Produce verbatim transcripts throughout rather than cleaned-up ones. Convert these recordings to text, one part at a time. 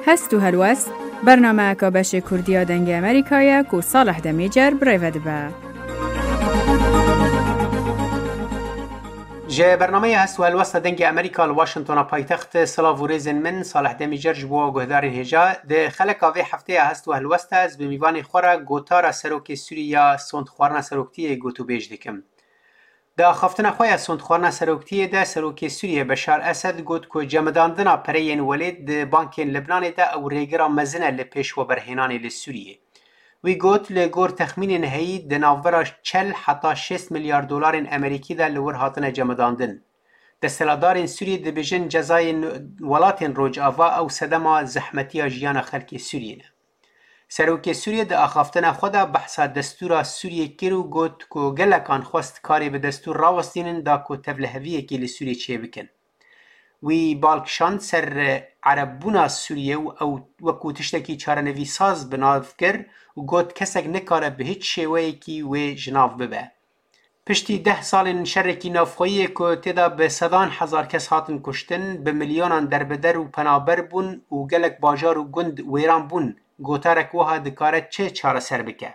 Hest û helwest, bernameyeka beşê Kurdî ya Dengê Amerîka ye ku Salih Demîcer bi rê ve dibe. Ji bernameya Hest û Helwesta Dengê Amerîka li Washingtona paytext, silav û rêzên min, Salih Demîcer ji bo guhdarên hêja. Di xeleka vê hefteya Hest û Helwesta ez bi mîvanê xwe re gotara Serokê Sûrî ya sondxwarina seroktiyê gotûbêj dikim. Di axaftina xwe ya sondxwarina seroktiyê de Serokê Sûriyê Beşar Esed got ku cemidandina pereyên welêt di bankên Libnanê de ew rêgira mezin e li pêşweberhênanê li Sûriyê. Wî got, li gor texmînên heyî di navbera çel heta şêst milyar dolarên Amerîkî de li wir hatine cemidandin. Desthilatdarên Sûriyê dibêjin cezayên welatên Rojava ew sedema zehmetiya jiyana xelkê Sûriyê ne. Serokê Sûriyê di axaftina xwe de behsa destûra Sûriyê kir û got ku gelekan xwest karê bi destûr rawestînin da ku tevliheviyekê li Sûriyê çêbikin. Wî bal kişand ser erebbûna Sûriyê û ew wekû tiştekî çarenivîsaz bi nav kir û got, kesek nikare bi hiç şêweyekî wê ji nav bibe. Piştî deh salên şerekî navxweyî yê ku tê de bi sedan hezar kes hatin kuştin, bi milyonan derbeder û penaber bûn û gelek bajar û gund wêran bûn, gotarek wiha dikare çi çareser bike?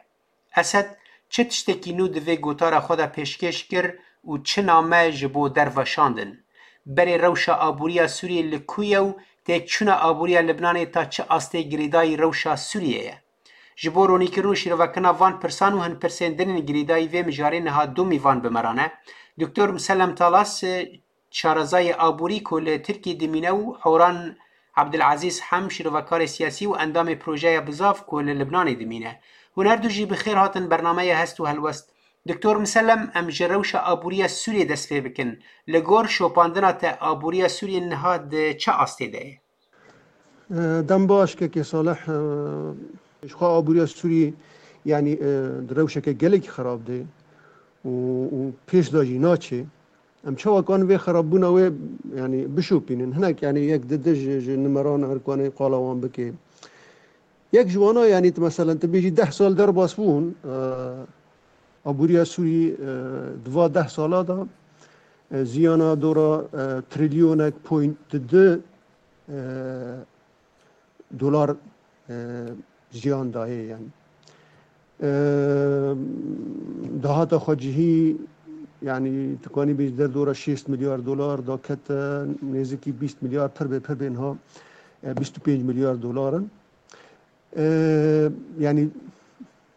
Esed çi tiştekî nû di vê gotara xwe de pêşkêş kir û çi name ji bo derve şandin? Berê rewşa aboriya Sûriyê li ku ye û têkçûna aboriya Libnanê ta çi astê girêdayî rewşa Sûriyê ye? Ji bo ronîkirin û şîrovekirina van pirsan û hin pirsên din ên girêdayî vê mijarê niha du mîvan bi me re ne. Doktor Musellem Talas, e, şarezayê aborî ku li Tirkiyê dimîne û Horan Abdulazîz Hem, şîrovekarê siyasî û endamê Projeya Bizav ku li Libnanê dimîne. Hûn her du jî bi xêr hatin bernameya Hest û Helwest. Doktor Musellem, em ji rewşa aboriya Sûriyê dest pê bikin. Li gor şopandina te aboriya Sûriyê niha di çi astê de ye? Dem baş, kekê Salih. Ji xwe aboriya Sûrî, yanî, di rewşeke gelekî xerab de û, û pêş de jî naçê. Em çawa kan vê xerabbûna wê, yanî, bişopînin? Hinek, yanî, yek di di ji, ji nimeran her kanê qala wan bike. Yek ji wana, yanî, tu meselen, tu bêjî deh sal derbas bûn, aboriya Sûrî, di va deh sala de, ziyana dora, trilyonek point di du, dolar, e, ziyan dayê, yanî. E, dahata xwecihî, yanî, tu kanî bêjî derdora şêst milyar dolar da kete, nêzîkî bîst milyar, pir bê, pir bê niha, e, bîst û pênc milyar dolar in. E, yanî,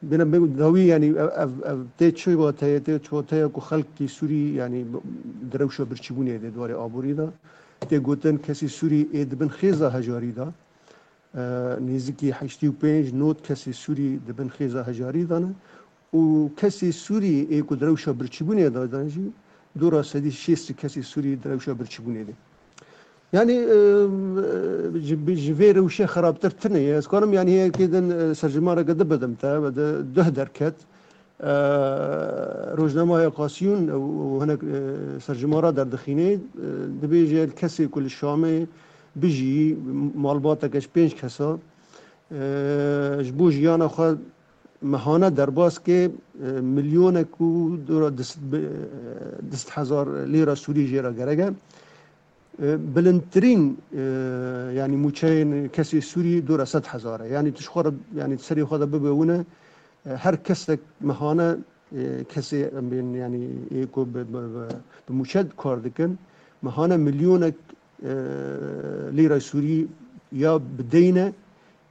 bêne bê dawî, yanî, ev, ev, ev tê çi wateye, tê çi wateye ku xelkî Sûrî, yanî, di rewşa birçîbûnê de di warê aborî de. Tê gotin kesî Sûrî ê di bin xêza hejarî de. E, nêzîkî heştê û pênc nod kesê Sûrî di bin xêza hejarî de ne û kesê Sûrî ê ku di rewşa birçîbûnê de dan jî dora sedî şêst kesê Sûrî di rewşa birçîbûnê de. Yanî, e, ji, ji vê rewşê xerabtir tune ye. Ez karim, yanî, heyekê din, e, serjimareke di bidim te, ve de duh derket. E, rojnameya Qasiyûn û hinek, e, serjimara derdixîne, e, dibêje kesê ku li Şamê bijî, malbateke ji pênc kesa, e, ji bo jiyana xwe mehane derbas ke, e, milyonek û dora du sed bi-, e, du sed hezar lîra Sûrî jê re gerek e. E, bilindtirîn, e, yanî mûçeyên kesê Sûrî dora sed hezar e. Yanî tu ji xwe re, yanî serê xwe de bibe wine, e, her kesek mehane, e, kesê em bên, yanî ê ku bi, bi, bi, bi mûçe kar dikin, mehane milyonek, e, lîra Sûrî ya bi deyne,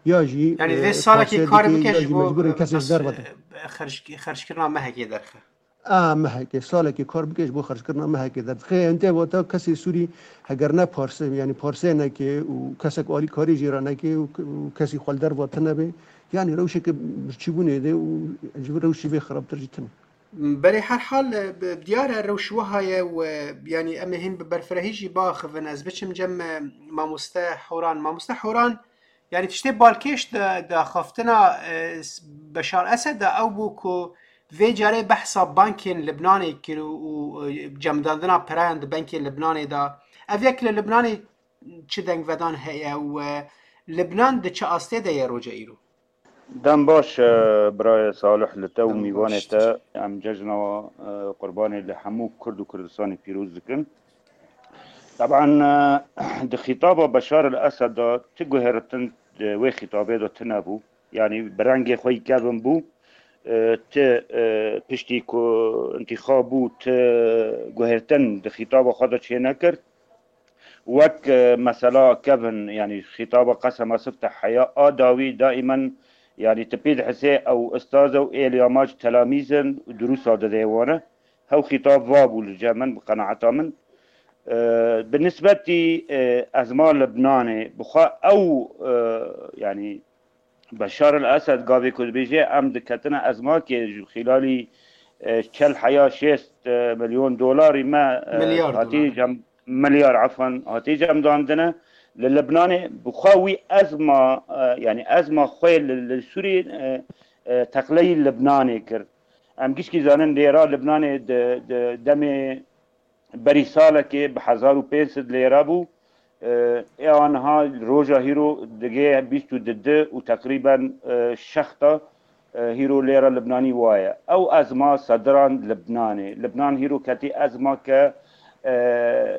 ya jî, yanî, e, vê salekê kar bike, ya jî mecbûr in kesê ji derve de. E, xerc-, xerckirina mehekê derxe. A mehekê, salekê kar bike ji bo xerckirina mehekê derdixe. Em tê vata kesê Sûrî heger ne parse, yanî parsê neke û kesek alîkarî jê re neke û, û kesî xwe li derva tune be, yanî rewşeke birçîbûnê de û ji vir rewşî vê xirabtir jî tune. Berê her hal, e, bi-, diyar e rewş wiha ye û, e, yanî em ê hîn bi berfirehî jî biaxivin. Ez biçim cem, e, mamoste Horan. Mamoste Horan, yanî tiştê balkêş di, di axaftina, e, s-, Beşar Esed de ew bû ku vê carê behsa bankên Libnanê kir û, û, e, cemidandina perayan di bankên Libnanê de. Ev yek li Libnanê çi dengvedan heye û, e, Libnan di çi astê de ye roja îro? Dem baş, e, birayê Salih, li te û mîvanê te. Em cejna, e, qurbanê li hemû Kurd û Kurdistanê pîroz dikin. Teban, e, di xîtaba Beşar el Esed de çi guhêritin di wê xîtabê de tune bû. Yanî bi rengê xwe yî kevin bû. E, ti, e, piştî ku întîxab bû, ti guhêrtin di xîtaba xwe de çênekir. Wek, e, mesela kevin, yanî xîtaba qesema sifte heya a dawî daimen, yanî ti pê dihisê ew ustaz e û êlî amac telamîz in û dirûsa dide wan e. Hew xîtab va bû li cem min, bi qenaeta min. E, bi nisbetî, e, ezma Libnanê, bi xwe ew, e, yanî Beşar el Esed gavê ku dibêje, em diketine ezmakê ji xîlalî, e, çel heya şêst, e, milyon dolarî me, e, Milyar hatî dolar. cem, milyar, efwen, hatî cemdandine. Li Libnanê bi xwe wî ezma, e, yanî ezma xwe li, li Sûriyê, e, e, teqleyî Libnanê kir. Em gişkî zanin lêra Libnanê di, di demê berî salekê bi hezar û pênc sed lêra bû. E, ê aniha roja hîro digê bîst û du û teqrîben, e, şexta, e, hîro lêra Libnanî waye. Ew ezma sediran Libnanê. Libnan hîro ketî ezma ke, e,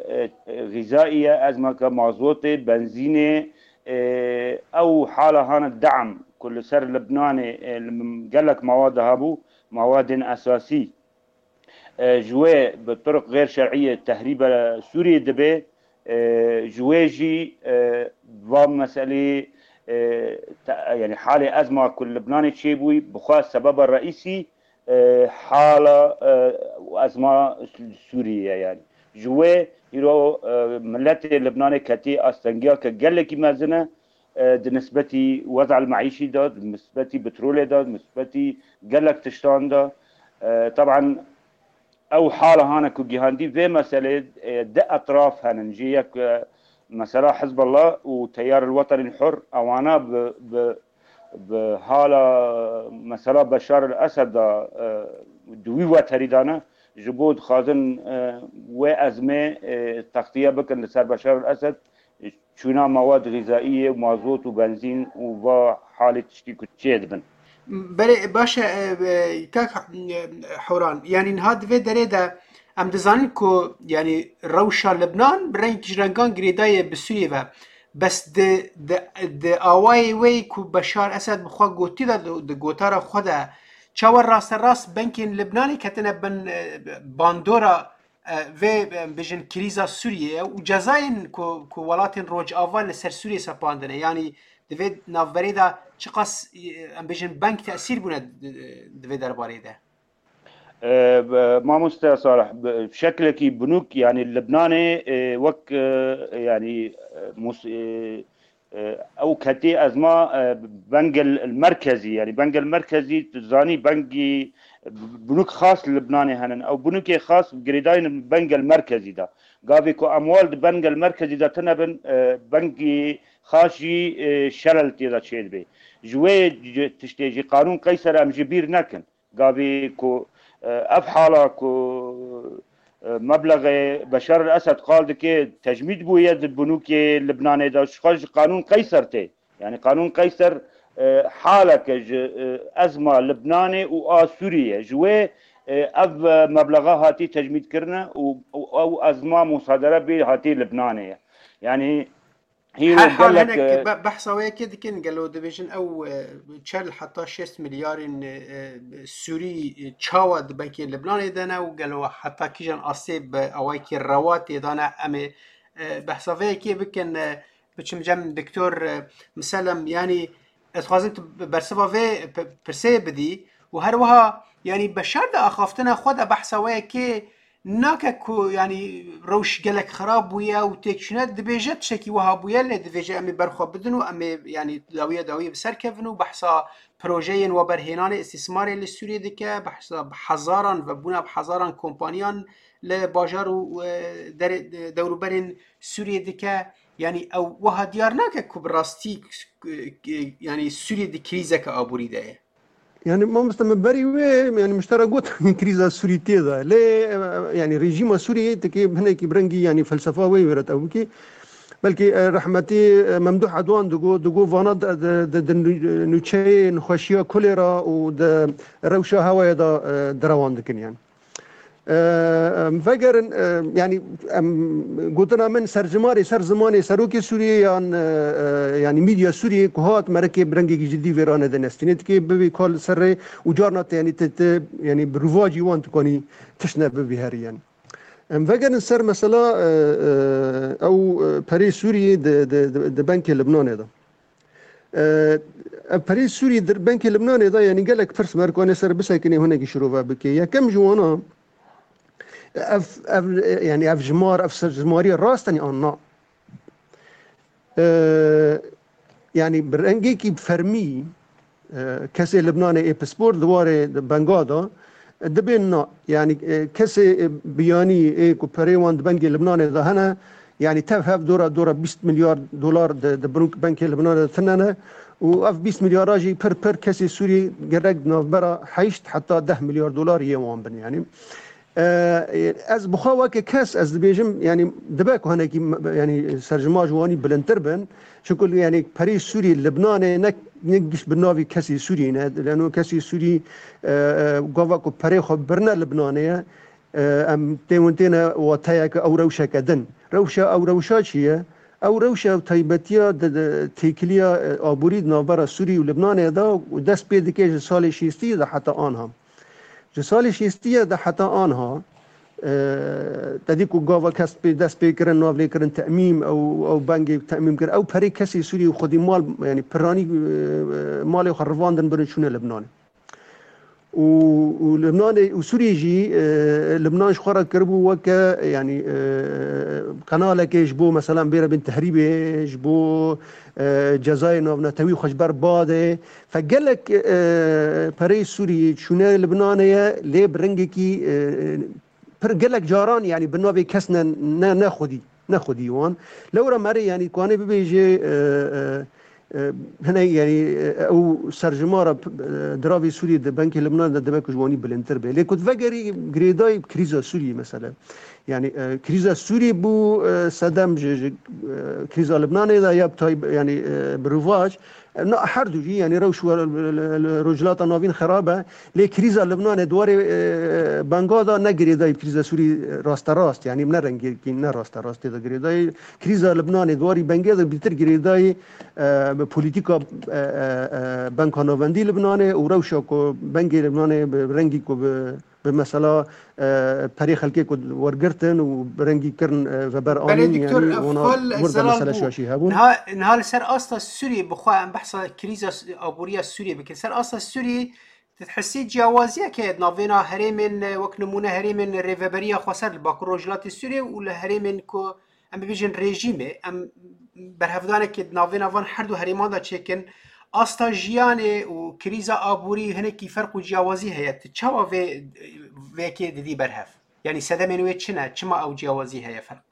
e, xîzaî ye, ezma ke mazotê, benzînê, e, ew hala hane de'm ku li ser Libnanê, e, li gelek mawad de hebû, mawadên esasî. E, ji wê bi turuq xêr şer'iyê tehrîbe Sûriyê dibe, e, ji wê jî, e, va meselê, e, te-, yanî halê ezma ku li Libnanê çêbûyî, bi xwe sebeba reîsî, e, hala, e, ezma Sûriyê ye yanî. Ji wê îro, e, miletê Libnanê ketî astengiya ke gelekî mezin e, e, di nisbetî wez'el meîşî de, di nisbetî petrolê de, di nisbetî gelek tiştan de. E, teban ew hala hane ku gihandî vê meselê, e, di etraf henin. Jê yek, e, mesela Hizbullah û Teyar el Wetenî el Hur, ewana bi, bi, bi hala mesela Beşar el Esed de, e, di wî weterî de ne, ji bo dixwazin, e, wê ezmê, e, textiye bikin li ser Beşar el Esed, çûna mewad xîzaiyê, mazot û benzîn û va halê tiştî ku çê dibin. Belê, baş e, e, kak, e, Hewran, yanî niha di vê derê de em dizanin ku, yanî rewşa Libnan bi rengekî ji rengan girêdayê bi Sûriyê ve. Bes di, di, di awayê wê ku Beşar Esed bi xwe gotî de, di, di gotara xwe de, çawa rasterast benkên Libnanê ketine bin, e, bandora e, vê, e, em bêjin krîza Sûriyê ye û cezayên ku, ku welatên Rojava li ser Sûriyê sepandine. Yanî di vê navberê de çiqas, e, em bêjin bank tesîr bûne di, di vê derbarê de? E, be-, mamoste Salih, bi şeklekî binûk, yanî Libnanê, e, wek, e, yanî, e, mus-, e, e, ew ketê ezma, e, bengel merkezî, yanî bengel merkezî, tu zanî bengî, e, binûk xas li Libnanê henin. Ew binûkê xas girêdayî bengel merkezî de. Gavê ku emwal di bengel merkezî de tune bin, e, bengî xas jî, e, şerel tê de çêdibe. Ji wê c-, tiştê jî qanûn qeyser em ji bîr nekin. Gavê ku, e, ev hala ku, e, meblexê Beşar el Esed qal dike, tecmîd bûye di binûkê Libnanê de, ji xwe ji qanûn qeyser tê. Yanî qanûn qeyser, e, haleke ji, e, ezma Libnanê û a Sûriyê. Ji wê, e, ev, e, meblexa hatî tecmîd kirine û, û ew ezma musadere bê hatî Libnanê ye. Yanî Hîro Her hal gelek, hinek e, be-, behsa wê yekê dikin, gelo dibêjin ew, e, çel heta şêst milyarên, e, e, Sûrî, e, çawa di benkê Libnanê de ne û gelo heta kîjan astê bi awayekî rewa tê de ne? Em ê, e, behsa vê yekê bikin, e, biçim cem Doktor, e, Miselem, yanî ez dixwazim tu bersiva vê p-, pirsê bidî û her wiha, yanî Beşar di axaftina xwe de behsa wê yekê nake ku, yanî, rewş gelek xirab bûye û têkçûne, dibêje tiştekî wiha bûye, lê divêje em ê ber xwe bidin û em ê, yanî, dawiye dawiyê bi ser kevin û behsa projeyên weberhênanê îstîsmarê li Sûriyê dike, behsa bi hezaran, vebûna bi hezaran kompaniyan li bajar û, e, derê, dewrûberên Sûriyê dike. Yanî, ew wiha diyar nake ku bi rastî, e, yanî, Sûriyê di krîzeke aborî de ye. Yani mamoste, min berî wê, yani, min ji te re got, krîza Sûrî tê de. Lê, e, yani, rejîma Sûriyê têkê hinekî bi rengî, yani, felsefa wê wêret ew bikî. Belkî, e, rehmetî, e, Memduh Edwan digo, digo vana de, de, de, de nû-, nûçeyê nexweşiya kolera û de rewşa hewayê de, e, derewan dikin, yani. E, em vegerin, e, yanî em gotina min serjimarê ser zimanê serokê Sûriyê yan, e, e, yanî medya Sûriyê ku hat merekê bi rengekî cidî vê ranê de nestînê dikê bibî kal ser rê û carna te yanî te, te yanî bi rûvacî wan dikanî tişt ne bibî herî yanî. Em vegerin ser mesela, e, e, ew, e, perê Sûriyê di, di, di, di benkê Libnanê de. E, ev perê Sûrî di benkê Libnanê de, yanî gelek pirs merkanê ser bisekinê hinekî şirove bike. Yekem ji wana, ev, ev, yanî ev jimar, ev ser-, jimarî rast in an na? E, yanî bi rengekî fermî, e, kesê Libnanê ê pispor di warê di benga de, e, dibên na. Yanî, e, kesê, e, biyanî ê ku perê wan di bengê Libnanê de hene, yanî tev hev dora, dora bîst milyar dolar di, di bunk-, benkê Libnanê de tine ne. Û ev bîst milyara jî pir pir kesê Sûrî gerek di navbera heşt heta deh milyar dolar yê wan bin yanî. E, ez bi xwe weke kes ez dibêjim, yanî dibe ku hinekî m-, yanî serjima ji wanî bilindtir bin. Çunku yanî perê Sûrî Libnanê ne, ne giş bi navî kesî Sûrî ne. Leno kesî Sûrî, e, e, gava ku perê xwe birine Libnanê ye. E, em tê win têne wateyeke ew rewşeke din. Rewşa ew rewşa çi ye? Ew rewşa ew taybetiya di, di têkiliya, e, aborî di navbera Sûrî û Libnanê de û dest pê dike ji salê şêstî de heta anha. Ji salê şêstî de heta anha, e, te dî ku gava kes pê dest pê kirin, nav lê kirin temîm, ew, ew bengê temîm kir. Ew perê kesê Sûrî û xwedî mal, yanî piranî, e, malê xwe rivandin birin çûne Libnanê. Û, û Libnanê û Sûriyê jî, e, Libnan ji xwe re kiribû weke, yanî, e, qenalekê ji bo, meselan, bêre bin tehrîbê, ji bo, e, cezayê navnetewî xwe ji ber badê. Fe gelek, e, pereyê Sûriyê çûne Libnanê ye, lê bi rengekî, e, pir gelek caran, yanî bi navê kes ne, ne, ne xwedî, ne xwedî wan. Lewra merê, yanî, ku anê bibêje, e, e, e, hinek, yanî, e, ew serjimara, e, diravê Sûriyê di benkê Libnanê de dibe ku ji wanî bilindtir be. Lê ku vegerî girêdayî krîza Sûriyê, mesele. Yanî, e, krîza Sûriyê bû, e, sedem ji, ji, e, krîza Libnanê de ya bi tay-, yanî, e, bi rûvac. Na, her du jî, yanî rewş we-, li, li, li Rojhilata Navîn xerab e, lê krîza Libnanê di warê, e, benga de ne girêdayî bi krîza Sûrî rasterast, yanî ne rengekî ne rasterast tê de girêdayî. Krîza Libnanê di warî bengê de bîtir girêdayî, e, bi polîtîka, e, e, e, Benka Navendî Libnanê û rewşa ku bengê Libnanê bi rengî ku bi bi mesela, e, perê xelkê ku wergirtin û bi rengî kirin, e, veber Belê anîn, doktor, yanî e, wana fal wir de zelal mesele bû. Şaşî hebûn. Niha, niha li ser asta Sûriyê, bi xwe em behsa krîza s-, aboriya Sûriyê bikin. Ser asta Sûriyê, tu dihesî ciyawaziyeke di navêna herêmên, e, wek nimûne herêmên Rêveberiya Xweser li Bakur Rojhilatê Sûriyê û li herêmên ku em bibêjin rejîmê, em berhevdanekê di navêna van her du herêman de çêkin. Asta jiyanê û krîza aborî hinekî ferq û ciyawazî heye. Tu çawa vê, vê yekê didî berhev? Yanî sedemên wê çi ne? Çima ew ciyawazî heye, ferq?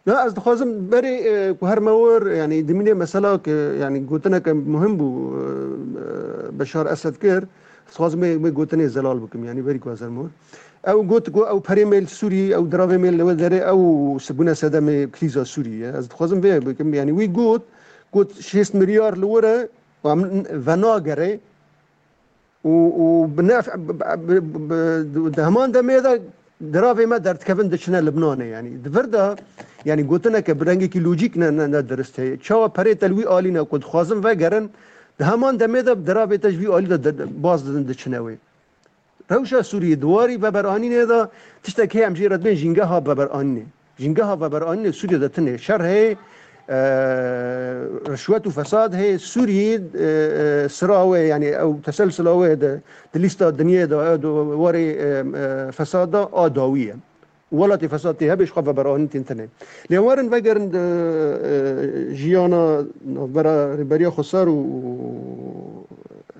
Ya, ez dixwazim berê, e, ku her me wir, yanî dimînê mesela ke, yanî gotineke muhim bû, e, e, Beşar Esed kir, ez dixwazim wê, wê gotinê zelal bikim, yanî berî ku ez her me wir. Ew got ku ew perê me li Sûrî, ew diravê me li wê derê, ew se-, bûne sedemê krîza Sûrî ye. Ez dixwazim vê bikim, yanî wî got, got şêst milyar li wir e, û em venagere, û, û bi nef-, bi, bi, bi, bi, di heman demê de diravê me derdikevin diçine Libnanê, yanî. Di vir de, yanî, gotineke bi rengekî lojîk ne, ne, ne dirist heye. Çawa perê te li wî alî ne ku dixwazin vegerin, di heman demê de diravê te ji vî alî de, de, de baz didin diçine wê. Rewşa Sûriyê di warî veberanînê de tiştek heye em jê re dibên jîngeha veberanînê. Jîngeha veberanînê Sûriyê de tune şer heye, e, rişwet û fesad heye. Sûriyê, e, e, sira wê, yanî ew teselsila wê de, di lîsta dinyê de, e, di warê, e, e, fesad de a dawî ye. Welatê fesad tê hebe ji xwe veberanîn tên tune. Lê werin vegerin di, e, jiyana navbera Rêberiya Xweser û,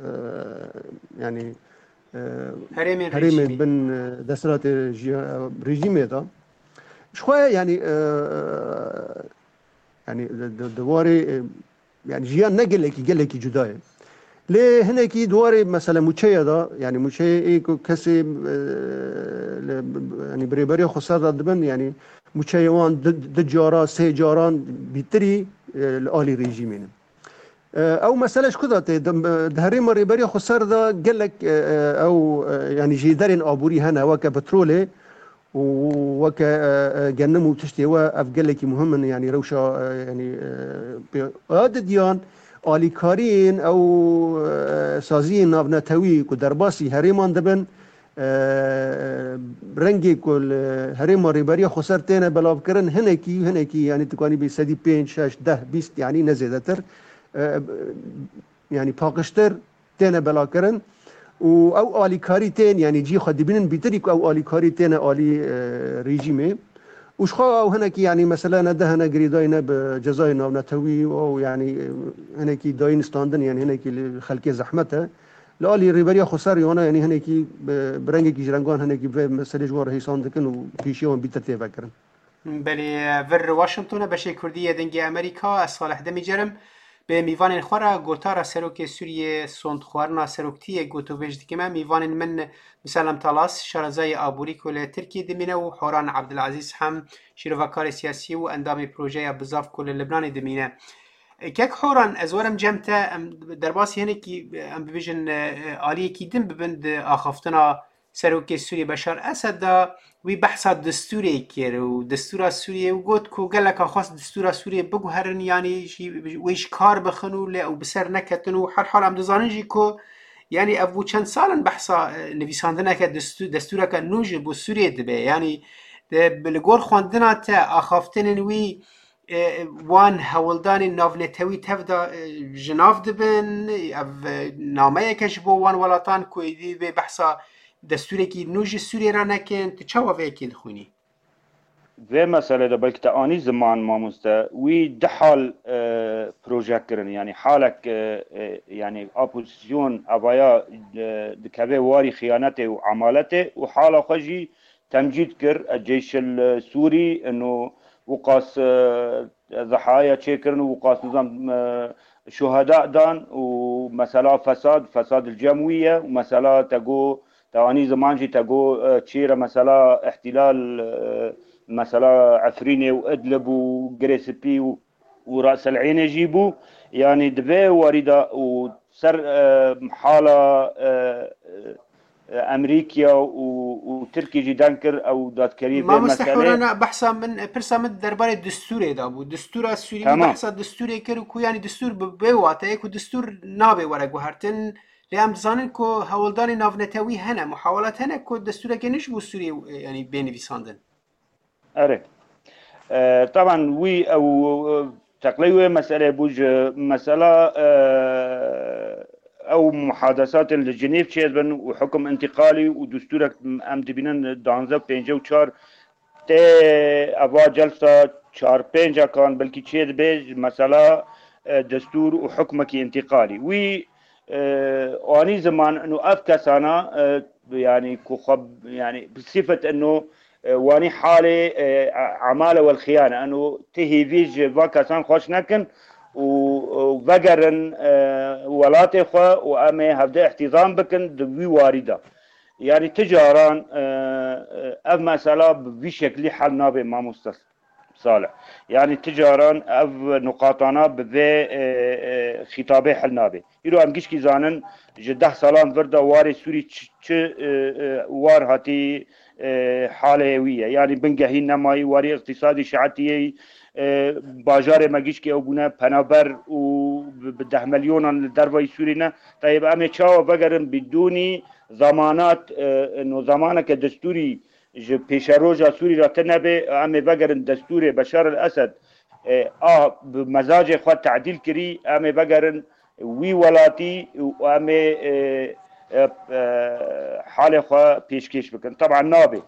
e, yanî, e, Herêmên herêmên rejîmê. Bin, e, desthilatê jiya-, rejîmê de. Ji xwe, yanî, e, yanî di, di, di warê, e, yanî jiyan ne gelekî, gelekî cuda ye. Lê hinekî di warê mesela mûçeya de, yanî mûçeyê ê ku kesê, e, li, yanî bi Rêberiya Xweser de dibin, yanî mûçeyê wan di, di cara, sê caran bîtirî, e, li alî rejîmê ne. E, ew mesele ji ku de tê? Di, di herêma Rêberiya Xweser de gelek, e, e, ew, e, yanî jêderên aborî hene, weke petrolê û weke, e, e, genim û tiştê we, ev gelekî muhim in, yanî rewşa, e, yanî, e, pê-, a didiyan alîkariyên ew, e, saziyên navnetewî ku derbasî herêman dibin, e, rengê ku li herêma Rêberiya Xweser têne belavkirin, hinekî, hinekî, yanî tu kanî bê sedî pênc, şeş, deh, bîst, yanî ne zêdetir, e, yanî paqijtir têne belakirin û ew alîkarî tên, yanî cî xwe dibînin bîtirî ku ew alîkarî têne alî, e, rejîmê. Û ji xwe ew hinekî, yanî mesele ne deh ne girêdayî ne bi cezayê navnetewî û ew, yanî, e, hinekî dayîn standin, yanî hinekî li xelkê zehmet e. Li alî Rêberiya Xweser yana, yanî hinekî bi, bi rengekî ji rengan hinekî vê meselê ji wan re hêsan dikin û pêşiya wan bîtir tê vekirin. Belê, vir Washington e, beşê Kurdî yê Dengê Amerîka, ez Salih Demîcer im. Bi mîvanên xwe re gotara Serokê Sûriyê, sondxwarina seroktiyê gotovêj dikim. Mîvanên min Miselem Talas, şarezayê aborî ku li Tirkiyê dimîne û Horan Abdilazîz hem şîrovekarê siyasî û endamê projeya Bizav ku li Libnanê dimîne. Kek Horan, ez werim cem te, em derbasî hinekî, em bibêjin, e, aliyekî din bibin di axaftina Serokê Sûriyê Beşar Esed de. Wî behsa destûrê kir û destûra Sûriyê û got ku gelek xwest destûra Sûriyê biguherin, yanî jî, wê ji kar bixin û lê ew bi ser neketin û herhal em dizanin jî ku, yanî ev bû çend sal in behsa, e, nivîsandineke destû-, destûreke nû ji bo Sûriyê dibe. Yanî, e, li gor xwendina te axaftinên wî, e, wan hewldanên navnetewî tev de, e, ji nav dibin, ev, e, nameyeke ji bo wan welatan ku êdî bê behsa destûrekî nû ji Sûriyê re nekin, tu çawa vê yekê dixwînî? Vê meselê de belkî te anî ziman, mamoste, wî du hal, e, proje kirin. Yanî halek, e, e, yanî opozîsyon evaya, e, dikeve warî xiyanetê û emaletê û hala xwe jî temcîd kir, e, Ceyşil, e, Sûrî, ino wiqas, e, zehaya çêkirin û wiqas nizam, e, şuheda dan û mesela fesad, fesad li cem wî ye û mesela te got, te anî ziman jî te got, e, çêre mesela îhtîlal, e, mesela Efrînê û Idlib û Girê Spî û, û Ras El Eynê jî bû. Yanî di vê warî de û ser, e, hala, e, e, Emerîkya û, û Tirkî jî deng kir ew dadkerî vê Mamoste meselê. Hewrana, behsa min, pirsa min derbarê destûrê de bû. Destûra Sûrî, min Tamam. behsa destûrê kir û ku yanî destûr bi vê wateyê ku destûr nabe were guhertin. Lê em dizanin ku hewldanê navnetewî hene, muhawelat hene ku destûreke nû ji bo Sûriyê, e, yanî bê nivîsandin. Erê. E, taban wî ew, e, teqley wê meselê bû ji mesela, e, ew muhadesatên li Cinêv çêdibin û hukum întîqalî û destûrek em dibînin danzdeh pêncî û çar tê eva celsa çar pêncekan belkî çêdibe ji mesela, e, destûr û hukmekî întîqalî. Wî, e, anî ziman û ev kesana, e, yanî ku xwe, yanî bi sifet eno, e, wanî halê, e, emale wel xiyane. Eno ti hêvî ji va kesan xweş nekin û, û vegerin, e, welatê xwe û em ê hevde îhtîzam bikin di wî warî de. Yanî ti caran, e, e, ev mesela bi vî şeklî hel nabe, mamoste Salih. Yanî ti caran ev nuqatana bi vê, e, e, xîtabê hel nabe. Îro em gişkî zanin ji deh salan vir de warê Sûrî çi, çi, e, e, war hatî, e, halê wî ye. Yanî bingehî nemayî, warî îqtîsadî şeetiyê, e, bajarê me gişkî ew bûne penaber û bi, bi deh milyonan li dervayî Sûrî ne. Tayê em ê çawa vegerin bidûnî zemanat, e, no zemaneke destûrî ji pêşeroja Sûrî re tune be, em ê vegerin destûrê Beşar el Esed, e, a bi mezacê xwe tedîl kirî, em ê vegerin wî welatî û em ê, e, e, e, halê xwe pêşkêş bikin. Teban nabe.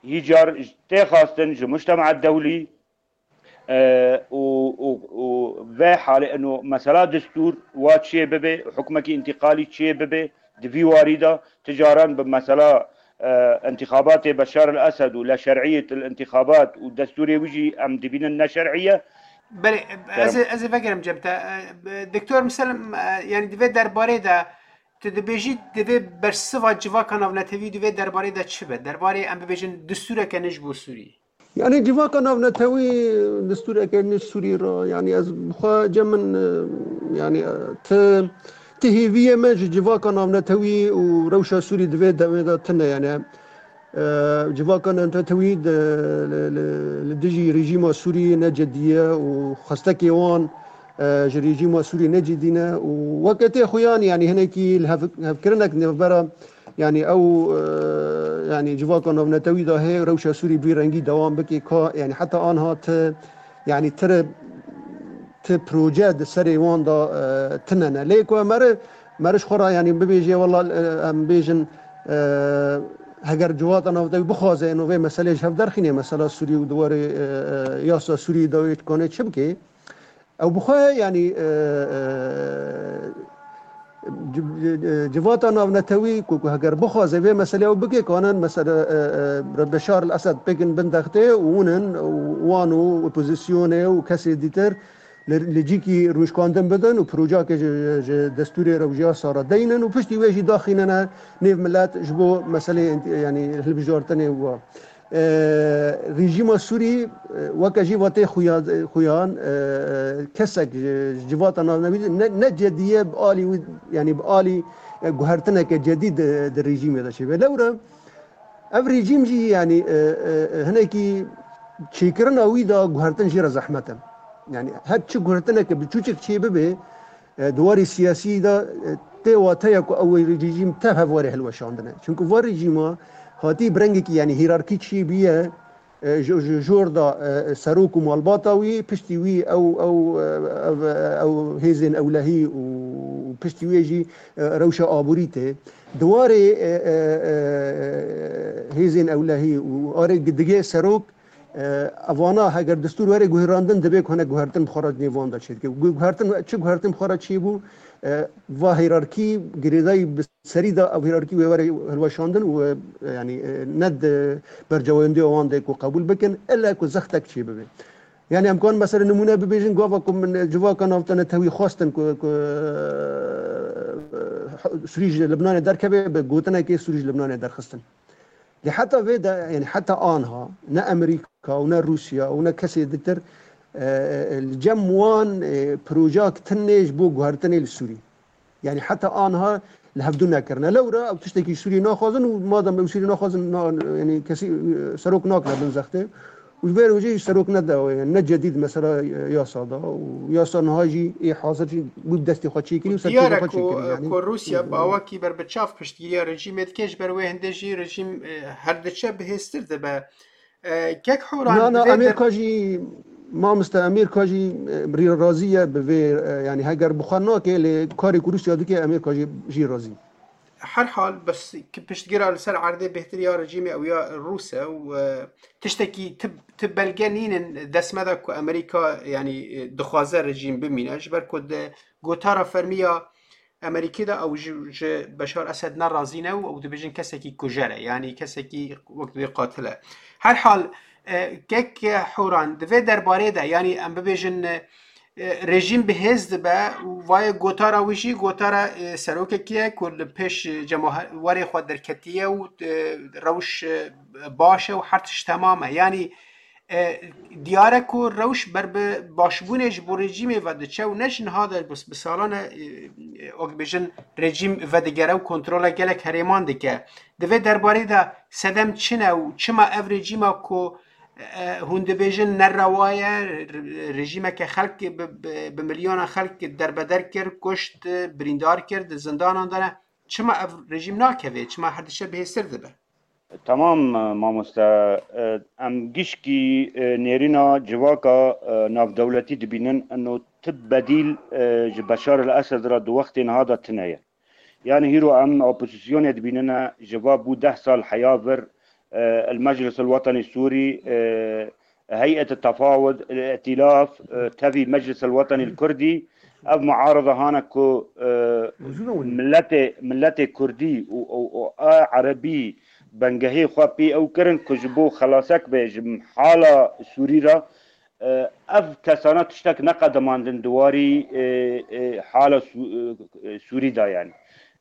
Hîcar tê xwestin ji mujtema dewlî, e, û, û, û vê halê ino mesela destûr wa çiyê bibe, hukmekî întîqalî çiyê bibe, di vî warî de ti caran bi mesela, e, întîxabatê Beşar el Esed û leşer'iyet el întîxabat û destûrê wî jî em dibînin neşer'î ye. Belê, ez ê, ez ê vegerim cem te. E, Doktor Miselim, e, yanî di vê derbarê de tu dibêjî divê bersiva civaka navnetewî di vê derbarê de çi be? Derbarê em bibêjin destûreke nû ji bo Sûrî. Yani civaka navnetewî destûreke ne Sûrî re, yani ez bi xwe cem min, e, yani, e, ti, ti hêviyê me ji civaka navnetewî û rewşa Sûrî di vê demê de tune, yani, e, civaka navnetewî de, li, li, li dijî rejîma Sûrî ne cedî ye û xwestekê wan, e, ji rejîma Sûrî ne cedî ne û weke tê xuyan, yani hinekî li hev-, hevkirinek nêvbera, yani ew, e, yani civaka navnetewî de hê rewşa Sûrî bi vî rengî dewam bike, ka yani heta anha ti, yani tire ti proje di serê wan de, e, tine ne. Lê ku mere, meriş xwe ra yani bibêje, wela, e, em bêjin, e, heger civaka navnetewî bixwaze eno vê meselê ji hev derxîne, mesela Sûrî û di warê, e, e, yasa Sûrî de wê dikane çi bike? Ew bi xwe, yanî, e, e, ci-, e, civata navnetewî ku, ku heger bixwaze vê meselê ew bike, kanin mesele, e, e, Beşar el Esed pêkin bin dextê û hûn in û wan û opozisyonê û kesê dîtir li, li cîkî rûnişkandin bidin û projeyeke ji, ji destûrê rewşa yasa re deynin û piştî wê jî daxînine nêv milet ji bo meseleyê int-, yanî hilbijartinê wa. E, rejîma Sûrî, e, weke jî vatê xuya-, xuyan, e, kesek ji, ji civata navnetewî ne, ne cedî ye bi alî wî, yanî bi alî, e, guhertineke cedî di, di rejîmê de çêbe. Lewre ev rejîm jî, yanî, e, e, e, hinekî çêkirina wî de guhertin jê re zehmet e. Yanî her çi guhertineke biçûçik çê bibe, e, di warê siyasî de, e, tê wateya ku ew rejîm tev hev were hilweşandine. Çimku va rejîma hatî bi rengekî, yanî hîrarkî çêbûye, e, ji, ji jor de, e, serok û malbata wî, piştî wî ew, ew, e, ev, ew hêzên ewlehî û, û piştî wê jî, e, rewşa aborî tê. Di warê, e, e, e, hêzên ewlehî û arê digê serok, e, evana heger destûr were guherandin, divê ku hinek guhertin bi xwe re nêvan de çêdike. Gu-, guhertin, çi guhertin bi xwe re çêbû, e, va hîrarkî girêdayî bi serî de ew hîrarkî wê were hilweşandin û, e, yanî, e, ne di berjewendiya wan de ku qebûl bikin, ille ku zextek çê bibe. Yanî em kan mesela nimûne bibêjin, gava ku min civaka navnetewî xwestin ku, ku, e, Sûrî ji Libnanê derkeve, bi gotinekê Sûrî ji Libnanê derxistin. Lê heta vê de, yanî heta anha ne Amerîka û ne Rûsya û ne kesê ditir, e, e, li cem wan, e, projak tinê ji bo guhertinê li Sûrî. Yanî heta anha li hevdû nekirine. Lewra ew tiştekî Sûrî naxwazin û madem ew Sûrî naxwazin, na-, yanî kesî, e, serok nakine bin zextê. Û ji vê re jî serok ne de, ne cedîd mesela, e, yasa da û yasa niha jî ê hazir jî bû destê xwe çêkirî û serkêfê Diyar e xwe ku, çêkirî, e, yanî. Ku Rûsya bi awakî berbiçav piştgiriya rejîmê dike, ji ber wê hindê jî rejîm, e, her diçe bihêztir dibe. E, kek Horan, Na, na, divê der- Amerîka jî, mamoste, Amerîka jî, e, rî-, razî ye bi vê, e, yanî heger bi xwe nake, lê karê ku Rûsya dike, Amerîka jî, jî razî. Her hal, bes ki piştgira li ser erdê bêhtir ya rejîmê ew ya Rûs e û, e, tiştekî ti, ti belge nînin dest me de ku Amerîka, yanî, e, dixwaze rejîm bimîne, ji ber ku di gotara fermî ya Amerîkî de ew ji, ji Beşar Esed ne razî ne û ew dibêjin kesekî kujer e, yanî kesekî wek dibê qatil e. Her hal, e, kek Horan, di vê derbarê de, yanî em bibêjin, e, e, rejîm bi hêz dibe û vayê gotara wî jî gotara, e, serokekî ye ku li pêş, e, cemahe-, warê xwe derketiye û, e, rewş, e, baş e û her tişt temam e. Yanî, e, diyar e ku rewş ber bi başbûnê ji bo rejîmê ve diçe û ne ji niha de, bi, bi salan e, e, e, wek bêjin rejîm vedigere û kontrola gelek herêman dike. Di vê derbarê de sedem çi ne û çima ev rejîma ku E, hûn dibêjin ne rewa ye, re-, rejîmeke xelk bi, bi, bi milyonan xelk derbeder kir, kuşt, birîndar kir, di zindanan de ne. Çima ev rejîm nakeve? Çima her diçe bihêztir dibe? Tamam, e, mamoste. E, em gişkî, e, nêrîna civaka, e, navdewletî dibînin, ino ti bedîl, e, ji Beşar el Esed re di wextê niha de tune ye. Yanî hîro em opozîsyonê dibînine, ji va bû deh sal heya vir, e, El Meclis El Wetenî Sûrî, e, Heyet El Tefawud, El Îtilaf, e, tevî Meclis El Wetenî El Kurdî, ev muarada hane ku, e, Mewzûna wî. Miletê, miletê Kurdî û, û, û a Erebî bengehê xwe pê ew kirin ku ji bo xelasek be ji hala Sûrî re, e, ev kesana tiştek neqedimandin di warî, e, e, hala Sû-, e, Sûrî de, yanî.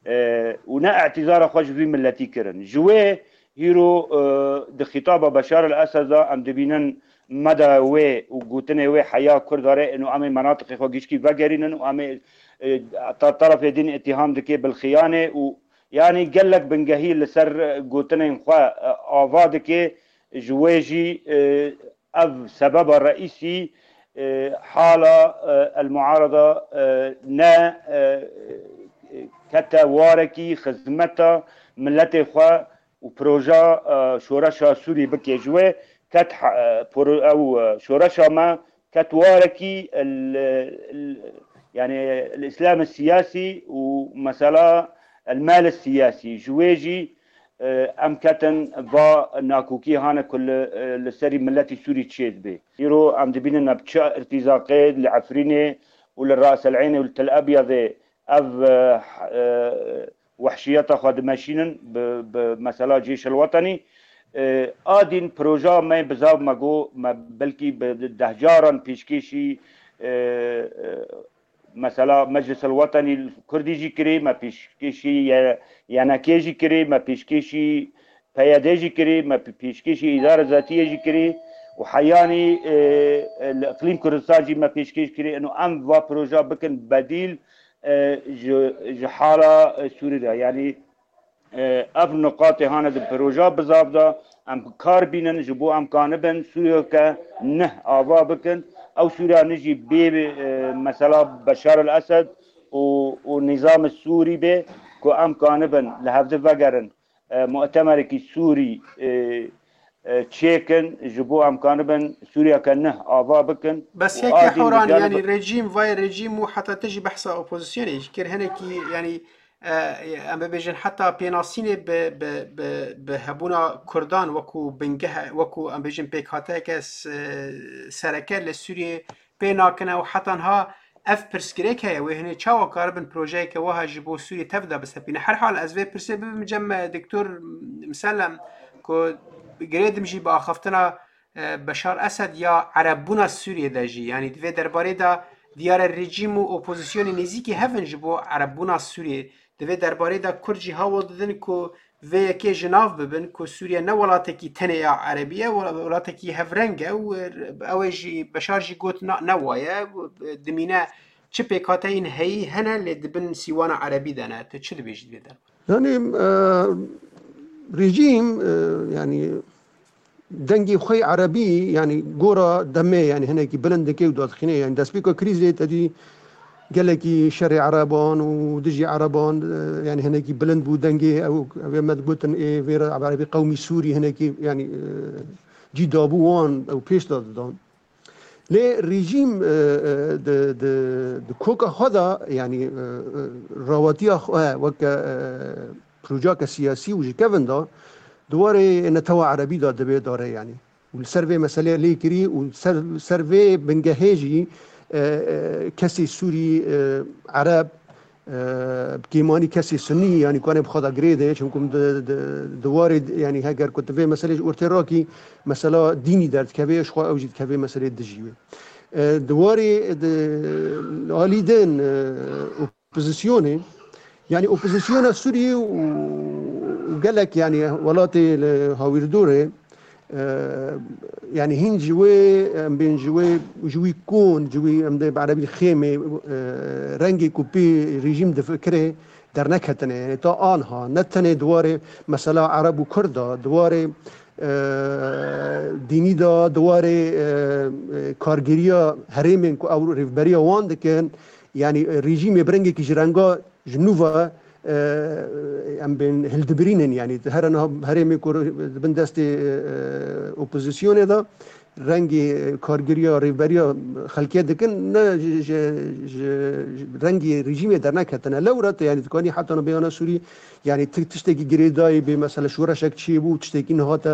E, û ne îtîzara xwe ji vî miletî kirin. Ji wê Hîro, e, di xîtaba Beşar el Esed de em dibînin meda wê û gotinê wê heya Kurda re ino em ê menatiqê xwe gişkî vegerînin û em ê, e, ta terefê din îttiham dike bil xiyanê û yanî gelek bingehî li ser gotinên xwe, e, ava dike, ji wê jî, e, ev sebeba reîsî, e, hala, e, el muarada, e, ne, e, kete warekî xizmeta miletê xwe û proja, e, şoreşa Sûrî bike ji wê ket ha-, e, pro-, ew, e, şoreşa me ket warekî el, el, yani el Îslam siyasî û mesela el mal siyasî ji wê jî, e, em ketin va nakokî hane ku li, e, li serî miletî Sûrî çêdibe. Îro em dibînin bi çi irtîzaqê li Efrînê û li Ras el Eynê û li Tel Ebyadê ev, e, e, wehşiyeta xwe dimeşînin bi, bi mesela Cêş el Wetenî. E, a din proja me bizav me got, me belkî bi dehcaran pêşkêşî, e, e, mesela Meclis el Wetenî Kurdî jî kirî, me pêşkêşî Y-, Y N K jî kirî, me pêşkêşî P Y D jî kirî, me pê-, pêşkêşî îdara zatiyê jî kirî û heyanî, e, e, li Iqlîm Kurdistan jî me pêşkêş kirî. Ino em va proja bikin bedîl, e, ji, ji hala, e, Sûrî de. Yanî, e, ev nuqatê hane di proja bizav de em kar bînin, ji bo em kanibin Sûriyeke neh ava bikin. Ew Sûriya nijî bê, e, mesela Beşar el Esed û, û nîzamê Sûrî bê ku em kanibin li hevdi vegerin, e, mutemerekî Sûrî, e, e, çêkin, ji bo em kanibin Sûriyeke neh ava bikin. Bes û yekê a din Horan, digel yanî rejîm, vay rejîm û heta te jî behsa opozisyonê jî kir. Hinekî, yanî, e, em bibêjin heta pênasînê bi, bi, bi, bi hebûna Kurdan wekû bingeh, wekû em bêjin pêkhateyeke s-, sereke li Sûriyê pê nakine û heta niha ev pirsgirêk heye, wê hinê çawa karibin projeyeke wiha ji bo Sûriyê tev de bisepîne? Her hal ez vê pirsê bibim cem, e, Doktor Misellem, ku girêdim jî bi axaftina, e, Beşar Esed ya erebbûna Sûriyê de jî, yanî di vê derbarê de diyar e rejîm û opozisyonê nêzîkî hev in ji bo erebbûna Sûriyê. Di vê derbarê de Kurd jî hewl didin ku vê yekê ji nav bibin ku Sûriye ne welatekî tenê ya erebî ye, wel-, welatekî hevreng e û ew ê jî Beşar jî got na-, ne wa ye, dimîne çi pêkhateyên heyî hene lê di bin sîwana erebî de ne. Tu çi dibêjî di vê derbarê? Yanî, e, rejîm, e, yanî dengê xwe yê erebî, yanî gora demê, yanî hinekî bilind dike û dadixîne. Yanî destpêka krîzê te dî gelekî şerê ereban û dijî ereban, e, yanî hinekî bilind bû dengê ew, ew ê me digotin ê vê re erebî qewmî Sûrî hinekî, yanî, e, cî dabû wan ew pêş de didan. Lê rejîm, e, e, di, di, di koka xwe de, yanî, e, e, rawatiya xwe weke, e, projeyeke siyasî û ji kevin de di warê netewa erebî de divê dare, yanî. Û li ser vê meseleyê lê kirî û ser, ser vê bingehê jî, e, e, kesê Sûrî, e, Ereb, e, bi kêmanî kesê Sunî, yanî ku em ê bi xwe de girêdin, çimku di, di, di warê, yanî heger ku tu vê meselê ji ortê rakî, mesela dînî derdikeve, ji xwe ew jî dikeve meselê dijî wê. E, di warê, di, li alî din, e, opozisyonê, yanî opozisyona Sûriyê û, û gelek, yanî welatê li hawîrdorê, e, yanî hîn ji wê, em bên ji wê, ji wî kon, ji wî em dê bi erebî xêmê, e, rengê ku pê rejîm difikire derneketine. Yanî ta anha ne tenê di warê mesela Ereb û Kurd de, di warê, e, dînî de, di warê, e, e, kargêriya herêmên ku ew rêvberiya wan dikin, yanî, e, rejîmê bi rengekî ji renga ji nû ve, e, em bên hildibirînin, yanî, di here niha herêmê ku di bin destê, e, e, opozisyonê de rengê, e, kargeriya, rêvberiya xelkê dikin, ne ji, ji, ji, ji rengê rejîmê derneketine. Lewra te, yanî, dikanî heta niha bêyana Sûrî, yanî, ti-, tiştekî girêdayî bê, mesela, şoreşek çêbû, tiştekî nehate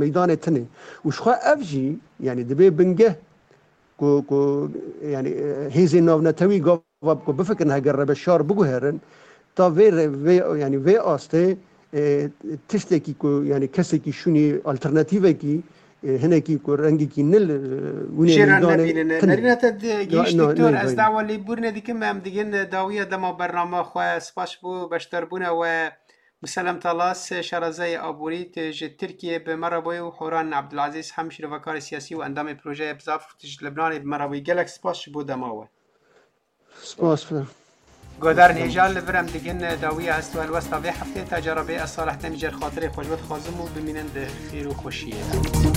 meydanê tune. Û ji xwe ev jî, yanî, dibê bingeh ku, ku, yanî, e, hêzên navnetewî gava ku bifikirin heger re Beşar biguherin, ta vê re, vê, yanî vê astê, e, tiştekî ku, yanî kesekî şûnî alternatîvekî, e, hinekî ku rengekî nil, e, winê Jê re meydanê nebînin. Tune. Nerîna te di-, Ya, gihîşt, na-, Doktor, neyê ez vayî. Dawa lêbûrine dikim, em digin dawiya dema bernama xwe. Spas bo beşdarbûna we. Muselem Talas, şarazeyê aborî, tu ji Tirkiyê bi me re bûyî û Horan Abdulaziz hem şîrovekarê siyasî û endamê projeyê Bizav, tu ji Libnanê bi me re bûyî. Gelek spas ji bo dema we. Spas be. Guhdarên hêja, li vir em digin dawiya hest û helwesta vê heftê, ta cara bê ez Salih Demîcer xatirê xwe ji we dixwazim û bimînin di xêr û xweşiyê de.